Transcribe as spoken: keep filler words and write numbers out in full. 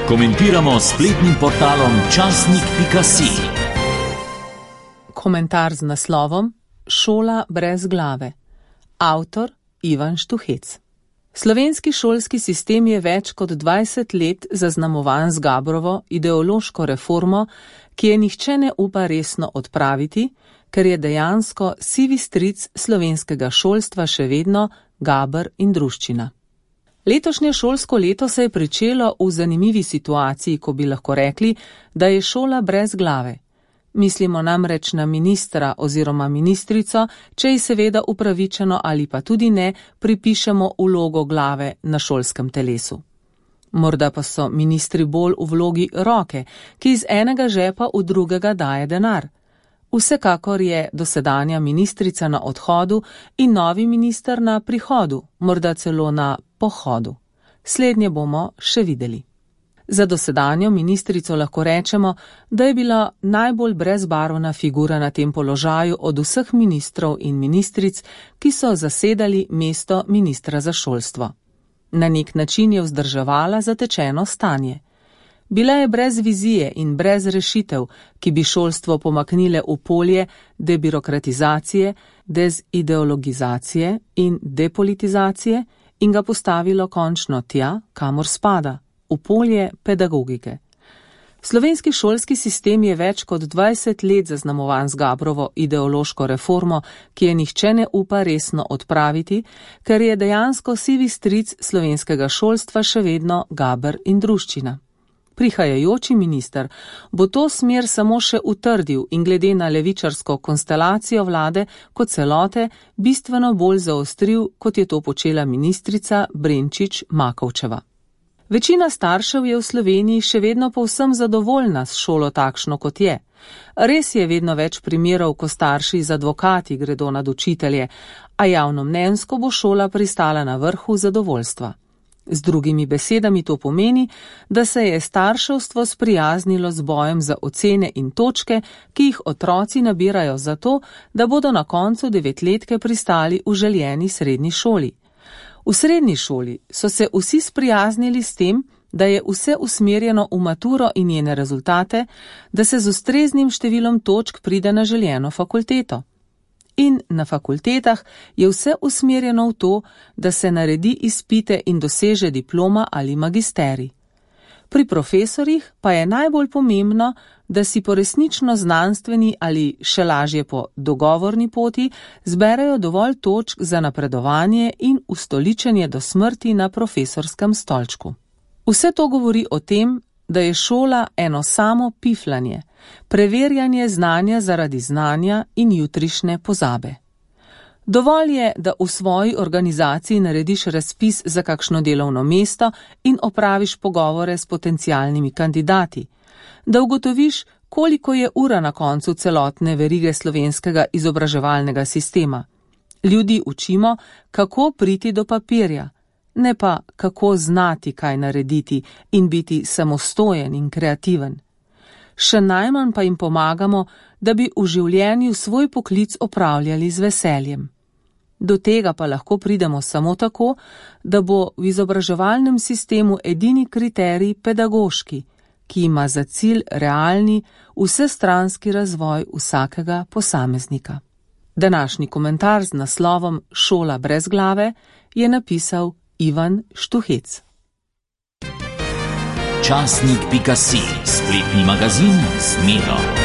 Komentiramo s spletnim portalom časnik pika si. Komentar z naslovom Šola brez glave. Avtor Ivan Štuhec. Slovenski šolski sistem je več kot dvajset let zaznamovan z Gabrovo ideološko reformo, ki je nihče ne upa resno odpraviti, ker je dejansko sivi stric slovenskega šolstva še vedno Gaber in druščina. Letošnje šolsko leto se je pričelo v zanimivi situaciji, ko bi lahko rekli, da je šola brez glave. Mislimo namreč na ministra oziroma ministrico, če ji seveda upravičeno ali pa tudi ne pripišemo vlogo glave na šolskem telesu. Morda pa so ministri bolj v vlogi roke, ki iz enega žepa v drugega daje denar. Vsekakor je dosedanja ministrica na odhodu in novi minister na prihodu, morda celo na pohodu. Slednje bomo še videli. Za dosedanjo ministrico lahko rečemo, da je bila najbolj brezbarvna figura na tem položaju od vseh ministrov in ministric, ki so zasedali mesto ministra za šolstvo. Na nek način je vzdrževala zatečeno stanje. Bila je brez vizije in brez rešitev, ki bi šolstvo pomaknile v polje debirokratizacije, dezideologizacije in depolitizacije in ga postavilo končno tja, kamor spada, v polje pedagogike. Slovenski šolski sistem je več kot dvajset let zaznamovan z Gabrovo ideološko reformo, ki je nihče ne upa resno odpraviti, ker je dejansko sivi stric slovenskega šolstva še vedno Gaber in druščina. Prihajajoči minister bo to smer samo še utrdil in glede na levičarsko konstelacijo vlade kot celote bistveno bolj zaostril, kot je to počela ministrica Brenčič Makovčeva. Večina staršev je v Sloveniji še vedno povsem zadovoljna s šolo takšno, kot je. Res je vedno več primerov, ko starši z advokati gredo nad učitelje, a javnomnenjsko bo šola pristala na vrhu zadovoljstva. Z drugimi besedami to pomeni, da se je starševstvo sprijaznilo z bojem za ocene in točke, ki jih otroci nabirajo zato, da bodo na koncu devetletke pristali v željeni srednji šoli. V srednji šoli so se vsi sprijaznili s tem, da je vse usmerjeno v maturo in njene rezultate, da se z ustreznim številom točk pride na željeno fakulteto. In na fakultetah je vse usmerjeno v to, da se naredi izpite in doseže diploma ali magisterij. Pri profesorjih pa je najbolj pomembno, da si po resnično znanstveni ali še lažje po dogovorni poti zberejo dovolj točk za napredovanje in ustoličenje do smrti na profesorskem stolčku. Vse to govori o tem, da je šola eno samo piflanje, preverjanje znanja zaradi znanja in jutrišnje pozabe. Dovolj je, da v svoji organizaciji narediš razpis za kakšno delovno mesto in opraviš pogovore s potencialnimi kandidati, da ugotoviš, koliko je ura na koncu celotne verige slovenskega izobraževalnega sistema. Ljudi učimo, kako priti do papirja, ne pa kako znati kaj narediti in biti samostojen in kreativen. Še najmanj pa jim pomagamo, da bi v življenju svoj poklic opravljali z veseljem. Do tega pa lahko pridemo samo tako, da bo v izobraževalnem sistemu edini kriterij pedagoški, ki ima za cilj realni, vsestranski razvoj vsakega posameznika. Današnji komentar z naslovom Šola brez glave je napisal Ivan Štuhec. časnik pika si, spletni magazin z Miro.